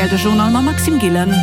Rtl de Journal mam Maxime Gillen.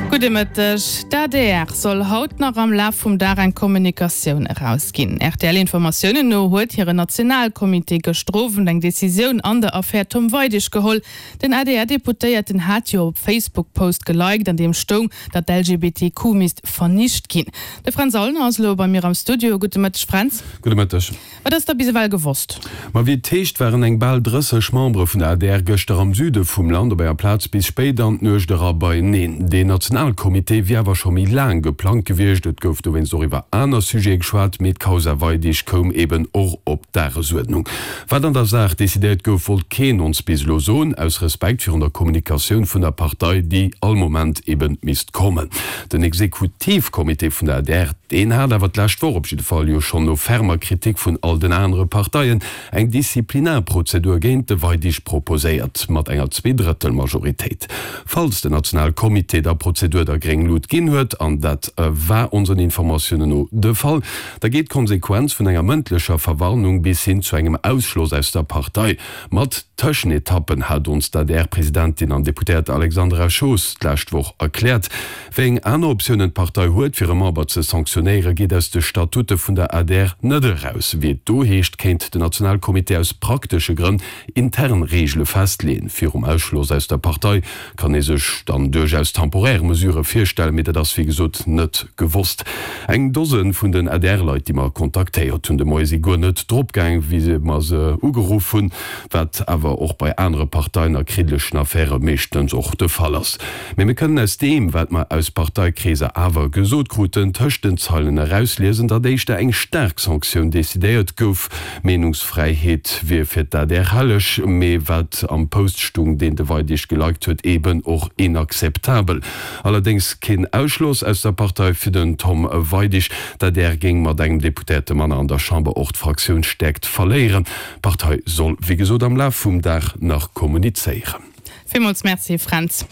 Gudde Mëtteg. D'adr soll haut nach am Laf vum Dag eng Kommunikatioun erausginn. RTL-Informatiounen no huet hire Nationalcomité gëschter Owend eng Decisioun an der Affär Tom Weidig geholl. Den ADR-Deputéierten hat jo op Facebook Post geliked, an deem stoung, datt d'LGBTQ misst vernicht ginn. De Fränz Aulner ass elo bei mir am Studio. Gudde Mëtteg, Fränz. Gudde Mëtteg. Wat ass da bis ewell gewosst? Ma wéi et heescht, waren eng bal 30 Membere vun der adr gëschter am Süde vum Land op enger Plaz bis spéit an d'Nuecht era beieneen. Deen Nationalcomité wier awer scho méi laang geplangt gewiescht. Et gouf dowéinst och iwwer aner Sujete geschwat, mee d'Causa Weidig koum eben och op d'Dagesuerdnung. Wat an der Saach decidéiert gouf, wollt keen ons bis elo soen, aus Respekt virun der Kommunikatioun vun der Partei, déi all Moment eben misst kommen. Den Exekutivcomité vun der adr, deen hat awer d'lescht Woch op jidde Fall jo schonn no fermer Kritik vun all den anere Parteien eng Disziplinarprozedur géint de Weidig proposéiert, mat enger Zweedrëttelmajoritéit. Falls den Nationalcomité der Prozedur da gréng Lut ginn huet, an dat war onsen Informatiounen no de Fall, da geet d'Konsequenz vun enger mëndlecher Verwarnung bis hin zu engem Ausschloss aus der Partei. Mat Tëschenetappen, hat ons d'ADR-Presidentin an Deputéiert Alexandra Schoos d'lescht Woch erkläert. Wéi eng aner Optiounen d'Partei huet, fir e Member ze sanktionéieren, geet aus de Statute vun der adr net eraus. Wéi et do heescht, kéint den Nationalcomité aus praktesche Grënn intern Reegele festleeën. Virum Ausschloss aus der Partei kann ee sech dann duerchaus temporär Mesurë virstellen, mee dat ass wéi gesot net gewosst. Eng Dose vun den ADR-Leit, déi mer kontaktéiert hunn de Moie, si guer net drop gaang, wéi mer se ugeruff hunn, wat awer och bei anere Parteien a kriddlechen Affäre meeschtens och de Fall ass. Mee mir kënnen aus deem, wat mer aus Parteikreeser awer gesot kruten, tëscht den Zeilen erausliesen, datt éischter eng staark Sanktioun decidéiert gouf. Meenungsfräiheet wier fir d'ADR helleg, mee wat am Post stung, deen de Weidig geliked huet, eben och inakzeptabel. Allerdéngs keen Ausschloss aus der Partei fir den Tom Weidig. D'ADR géing mat engem Deputéierte manner an der Chamber och d'Fraktiounsstäerkt verléieren. D'Partei soll wéi gesot am Laf vum Dag nach kommunizéieren. Villmools Merci Fränz.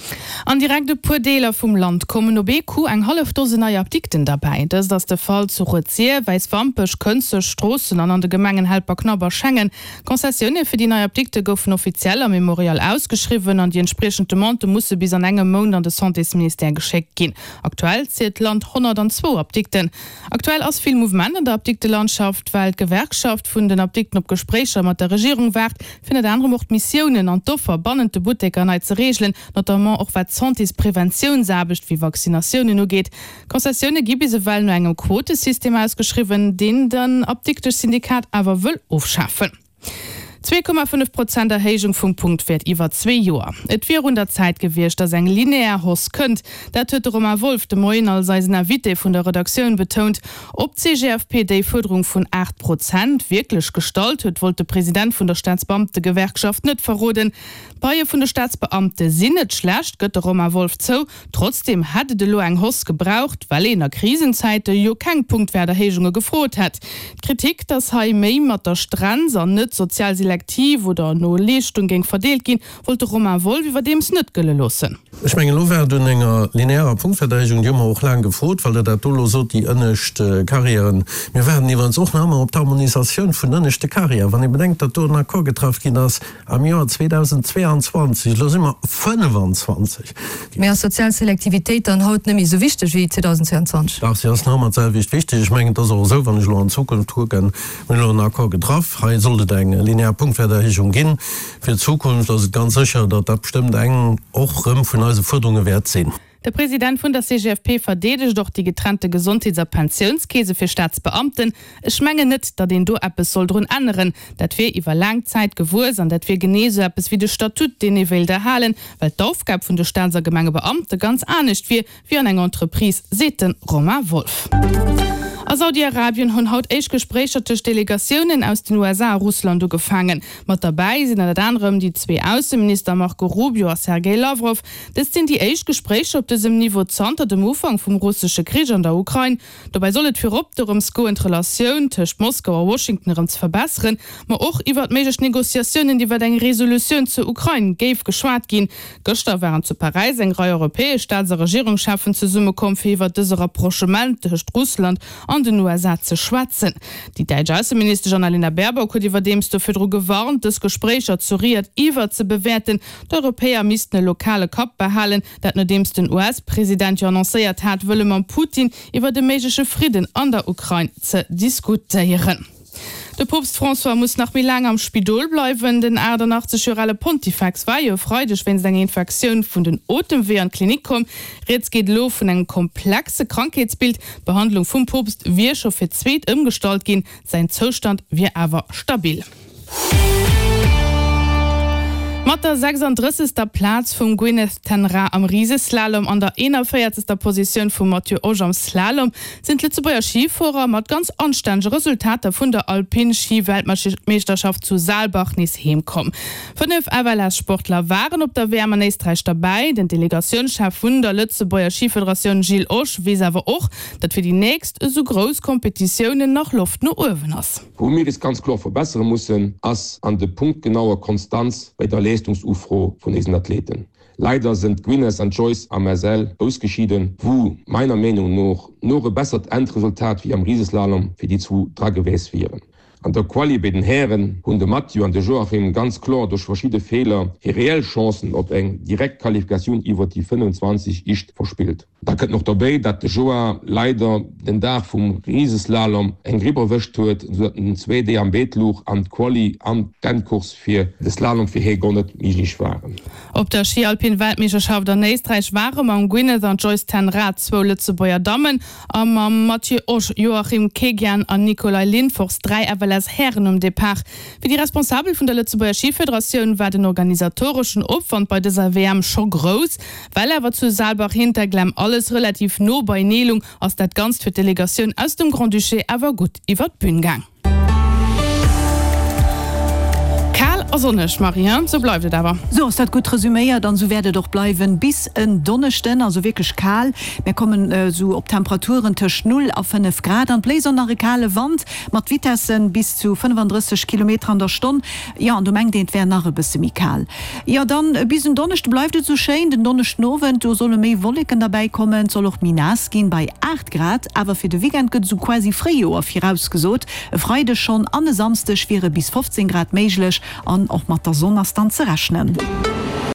An direkt e puer Deeler vum Land kommen op ee Coup eng hallef Dose nei Apdikten derbäi. Dëst ass de Fall zu Rued-Sir, Wäiswampech, Kënzeg, Stroossen an an de Gemengen Helperknapp a Schengen. D'Concessioune fir déi nei Apdikte goufen offiziell am Memorial ausgeschriwwen an déi entspriechend Demandë musse bis an engem Mount an de Santésministère geschéckt ginn. Aktuell zielt d'Land 102 Apdikten. Aktuell ass vill Mouvement an der Apdiktelandschaft, well d'Gewerkschaft vun den Apdikten op Gespréicher mat der Regierung waart, fir ënnert anerem och d'Missiounen an d'Offer bannent de Butteker nei ze reegelen, notamment och wat d'Santéspreventiounsaarbecht wéi Vaccinatiounen ugeet. D'Concessioune gi bis ewell no engem Quotesystem ausgeschriwwen, deen den Apdikteschsyndikat awer wëll ofschafen. 2,5 Prozent Erhéijung vum Punktwäert iwwer zwee Joer. Et wier un der Zäit gewiescht, datt eng linear Hausse kënnt. Dat huet de Romain Wolff de Moien als eisen Invité vun der Redaktioun betount. Ob d'CGFP déi Fuerderung vun 8 Prozent wierklech gestallt huet, wollt de President vun der Staatsbeamtegewerkschaft net verroden. D'Paie vun de Staatsbeamte sinn net schlecht, gëtt de Romain Wolff zou. Trotzdeem hätt et elo eng Hausse gebraucht, well een a Krisenzäite jo keng Punktwäerterhéijunge gefrot hätt. D'Kritik, datt hei méi mat der Strenz an net sozial selektiv oder no Leeschtung géing verdeelt ginn, wollt de Romain Wolff iwwerdeems net gëlle loossen. Ech mengen, elo war et un enger linearer Punktwäerterhéijung, déi hu mer och laang gefrot, well Der dat do elo sot, déi ënnescht Carrièren. Mir waarden iwwerens och nach ëmmer op d'Harmonisatioun vun den ënneschte Carrièren. Wann ee bedenkt, datt do en Accord getraff ginn ass am Joer 2022, elo si mer 25. Mee ass sozial Selektivitéit dann haut net méi esou wichteg wéi 2022? Dach, si ass nach ëmmer d'selwecht wichteg. Ech mengen, et ass och esou, wann ech elo an d'Zukunft kucken, mir hunn elo en Accord getraff, hei sollt et eng linear Punktwäerterhéijung ginn. Fir d'Zukunft ass et ganz sécher, datt dat bestëmmt eng och erëm vun eise Fuerderunge wäert sinn. De President vun der CGFP verdeedegt och déi getrennte Gesondheets a Pensiounskeese fir Staatsbeamten. Ech mengen net, datt een do eppes soll drun änneren. Dat wier iwwer laang Zäit gewuess an dat wier genee esou eppes wéi de Statut, deen ee wéilt erhalen, well d'Aufgab vun de Staats a Gemengebeamte ganz anescht wier wéi an enger Entreprise, seet de Romain Wolff. A Saudi-Arabien hunn haut éischt Gespréicher tëscht Delegatiounen aus den USA a Russland ugefaangen. Mat derbäi sinn ënnert anerem déi zwee Ausseminister Marco Rubio a Sergej Lawrow. Dëst sinn déi éischt Gespréicher op dësem Niveau zanter dem Ufank vum russesche Krich an der Ukrain. Dobäi soll et virop dorëms goen, d'Relatioun tëscht Moskau a Washington erëm ze verbesseren, ma och iwwert méiglech Negociatiounen iwwert eng Resolutioun zur Ukrain géif geschwat ginn. Gëschter waren zu Paräis eng Rei europäesch Staats a Regierungscheffen zesummekomm, fir iwwert dëse Rapprochement tëscht Russland an. an den USA ze schwätzen. Déi däitsch Ausseministesch Annalena Baerbock huet iwwerdeems do virdru gewarnt, dës Gespréicher zu Riad iwwerzebewäerten. D'Europäer missten e lokale Kapp behalen, dat nodeems den US-President jo annoncéiert hat, wëlle mam Putin iwwert e méigleche Fridden an der Ukrain ze diskutéieren. De Poopst François muss nach méi laang am Spidol bleiwen. Den 88 Joer ale Pontifex war jo e Freideg wéinst enger Infektioun vun den Otemweeër an d'Klinik komm. Rieds geet elo vun engem komplexe Krankheetsbild. D'Behandlung vum Poopst wier scho fir d'zweet ëmgestallt ginn, säin Zoustand wier awer stabil. Mat der 36. Plaz vum Gwyneth ten Raa am Riseslalom an der 41. Positioun vum Matthieu Osch am Slalom sinn d'Lëtzebuerger Schifuerer mat ganz anstännege Resultater vun der Alpin-Schi-Weltmeeschterschaft zu Saalbach nees heem komm. 5 FLS-Sportler waren op der WM an Éisträich derbäi. Den Delegatiounschef vun der Lëtzebuerger Schifederatioun Gilles Osch weess awer och, datt fir déi nächst esou grouss Kompetitiounen nach Loft no uewen ass. Wou mir is ganz kloer verbessere mussen, ass an de punktgenauer Konstanz bei der Leistungsufro vun éisen Athleten. Leider sënn d'Gwyneth an d'Joyce am SL ausgeschieden, wou meiner Meenung no noch e bessert Endresultat wéi am Rieseslalom fir déi zwou dra gewäs wieren. An der Quali béi den Hären hunn de Mathieu an de Joachim ganz kloer duerch verschidde Feeler hir reell Chancen op eng direkt Qualifikatioun iwwert déi 25 ischt verspillt. Da kënnt och dobéi, dat de Joa leider den Dag vum Riseslalom eng Gripp erwëscht huet, esou dat en zwéi Deeg am Beet luch an d'Quali an d'Endcourse fir de Slalom fir hie guer net méiglech waren. Op der Schi-Alpin-Weltmeeschterschaft an Éisträich ware mam Gwyneth an Joyce ten Rad zwou Lëtzebuerger Dammen a mam Mathieu Osch, Joachim Keghian an Nikolaj Lindfors 3 FLS-Hären um Depart. Fir déi Responsabel vun der Lëtzebuerger Schifederatioun war den organisatoreschen Opwand bei dëser WM scho grouss. Well awer zu Saalbach-Hinterglemm alles relativ no beienee lung, ass dat Ganzt fir d'Delegatioun aus dem Grand-Duché awer gutt iwwer d'Bün gaang. Kal a sonneg, Marie, hein? Sou bleift et awer. Sou ass dat gutt resuméiert an sou wäert et och bleiwen bis en Donneschden. Also wierklech kal, mär kommen sou op Temperaturen tëscht 0 a 5 Grad an bléist och nach e kale Wand mat Vitessen bis zu 35 Kilometer an der Stonn. Jo, an do mengt een, et wär nach e bësse méi kal. Jo, dann bis en Donneschde bleift et esou schéin. Den Donneschdenowend, do solle méi Wolleken derbäi kommen, et soll och méi naass ginn, bei 8 Grad. Awer fir de Weekend gëtt esou quasi Fréijoer virausgesot. E Freideg schonn an e Samsdeg wiere bis 15 Grad méiglech an och mat der Sonn ass dann ze rechnen.